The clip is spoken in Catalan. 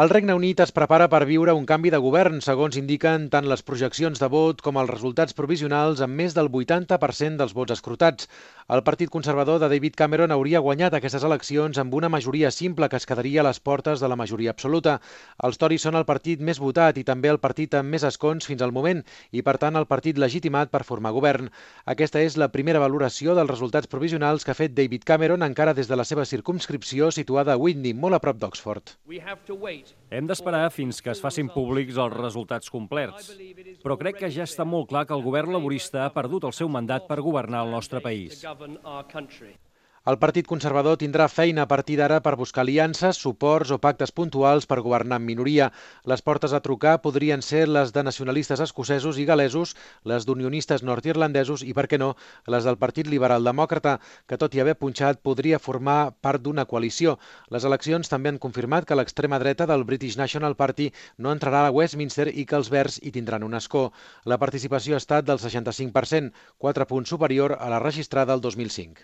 El Regne Unit es prepara per viure un canvi de govern, segons indiquen tant les projeccions de vot com els resultats provisionals amb més del 80% dels vots escrutats. El Partit Conservador de David Cameron hauria guanyat aquestes eleccions amb una majoria simple que es quedaria a les portes de la majoria absoluta. Els Tories són el partit més votat i també el partit amb més escons fins al moment i, per tant, el partit legitimat per formar govern. Aquesta és la primera valoració dels resultats provisionals que ha fet David Cameron encara des de la seva circumscripció situada a Witney, molt a prop d'Oxford. Hem d'esperar fins que es facin públics els resultats complerts. Però crec que ja està molt clar que el govern laborista ha perdut el seu mandat per governar el nostre país. El Partit Conservador tindrà feina a partir d'ara per buscar aliances, suports o pactes puntuals per governar en minoria. Les portes a trucar podrien ser les de nacionalistes escocesos i galesos, les d'unionistes nord-irlandesos i, per què no, les del Partit Liberal Demòcrata, que tot i haver punxat podria formar part d'una coalició. Les eleccions també han confirmat que l'extrema dreta del British National Party no entrarà a Westminster i que els Verds hi tindran un escó. La participació ha estat del 65%, 4 punts superior a la registrada el 2005.